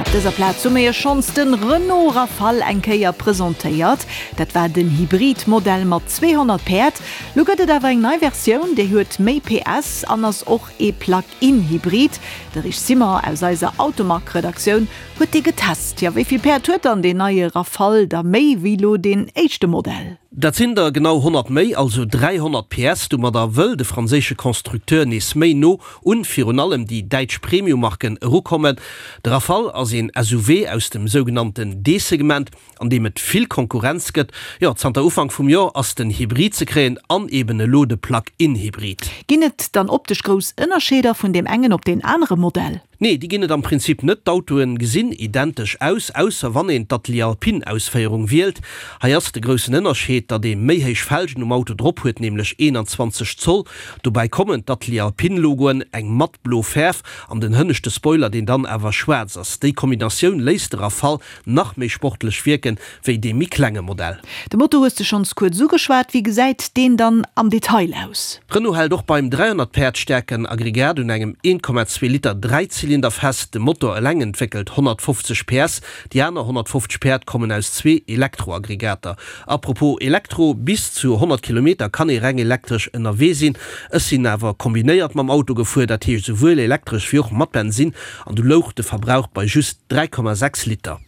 Op dëser Plaz hu mir iech schonns den Renault Rafale eng Kéier presentéiert. Dat war den Hybrid-Modell mat 200 Päerd. Lo gëtt et awer eng nei Versioun, déi huet méi PS an ass och ee Plug-in-Hybrid. De Rich Simon aus eiser Automag-Redaktioun huet dee getest. Jo, wéi vill Päerd huet dann deen neie Rafale da méi wéi lo deen éischte Modell? Dat sinn der genau 100 méi, also 300 PS. Domadder wëll de franséische Constructeur nees méi no un virun allem déi däitsch Premium-Marken erukommen. De Rafale ass een SUV aus dem sougenannten D-Segment, an deem et vill Konkurrenz gëtt. Jo, zanter Ufank vum Joer ass den Hybrid ze kréien an eben elo de Plug-in-Hybrid. Ginn et dann optesch grouss Ënnerscheeder vun deem engen op deen anere Modell? Nee, déi ginn et am Prinzip net. D'Autoen gesinn identesch aus, ausser wann een d'Atelier Alpine Ausféierung wielt. Hei ass de groussen Ënnerscheed, datt ee méi héich Felgen um Auto drop huet, nämlech 21 Zoll. Dobäi kommen d'Atelier Alpine Logoen, eng matt blo Fäerf an den hënneschte Spoiler, deen dann awer schwaarz ass. Déi Kombinatioun léisst de Rafale nach méi sportlech wierken, wéi dee méi klenge Modell. De Motor hues de schonns kuerz ugeschwat, wéi gesäit deen dann am Detail aus? Renault hält och beim 300 Päerd staarken Aggregat un engem 1,2 Liter Dräizylinder fest. De Motor eleng entwéckelt 150 PS, déi aner 150 Päerd kommen aus zwee Elektroaggregater. Apropos Elektro, bis zu 100 Kilometer kann ee reng elektresch ënnerwee sinn. Ech sinn awer kombinéiert mam Auto gefuer, dat heescht esouwuel elektresch wéi och mat Bensinn, an du louch de Verbrauch bei just 3,6 Liter.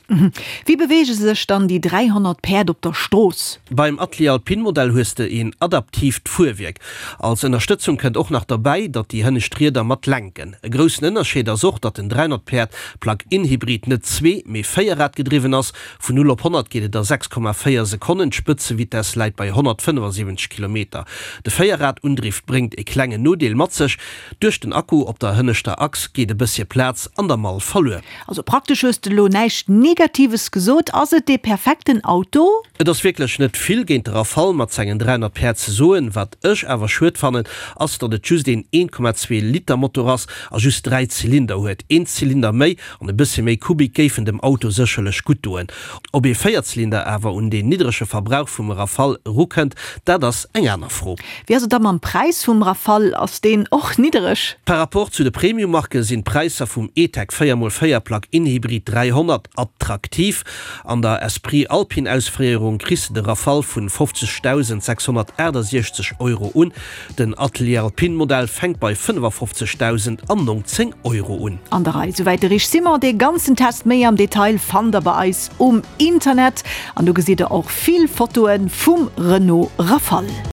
Wéi beweege sech dann déi 300 Päerd op der Strooss? Beim Atelier Alpine Modell hues de een adaptiivt Fuerwierk. Als Ënnerstëtzung kënnt och nach derbäi, datt déi hënnescht Rieder mat lenken. E groussen Ënnerscheed ass och, datt den 300 Päerd Plug-in-Hybrid net zwee-, mee véierrad-gedriwwen ass. Vun 0 op 100 geet et a 6,4 Sekonnen, d'Spëtzevitess läit bei 175 Kilometer. De Véierrad-Undriff bréngt e klengen Nodeel mat sech, Duerch den Akku op der hënneschter Achs geet e bëssche Plaz an der Mall verluer. Also praktesch hues de lo näischt Negatives gesot. Ass et dee perfekten Auto? Et ass wierklech net vill géint de Rafale mat sengen 300 Päerd ze soen. Wat ech awer schued fannen, ass datt et just een 1,2 Liter Motor ass a just 3 Zylinder huet. Een Zylinder méi an e bëssche méi Kubik géifen dem Auto sécherlech gutt doen. Ob ee Véierzylinder awer un deen niddrege Verbrauch vum Rafale erukënnt, dat ass eng aner Fro. Wéi ass et da mam Präis vum Rafale, ass deen och niddereg? Par rapport zu de Premium-Marke sinn d'Präisser vum E-Tech 4x4 Plug-in-Hybrid 300 attraktiv. An der Esprit Alpine-Ausféierung kriss de de Rafale vun 50.668 Euro un. Den Atelier Alpine Modell fänkt bei 55.019 Euro un. An der Rei, souwäit de Rich Simon. Dee ganzen Test méi am Detail fannt der bei eis um Internet an do gesitt der och vill Fotoe vum Renault Rafale.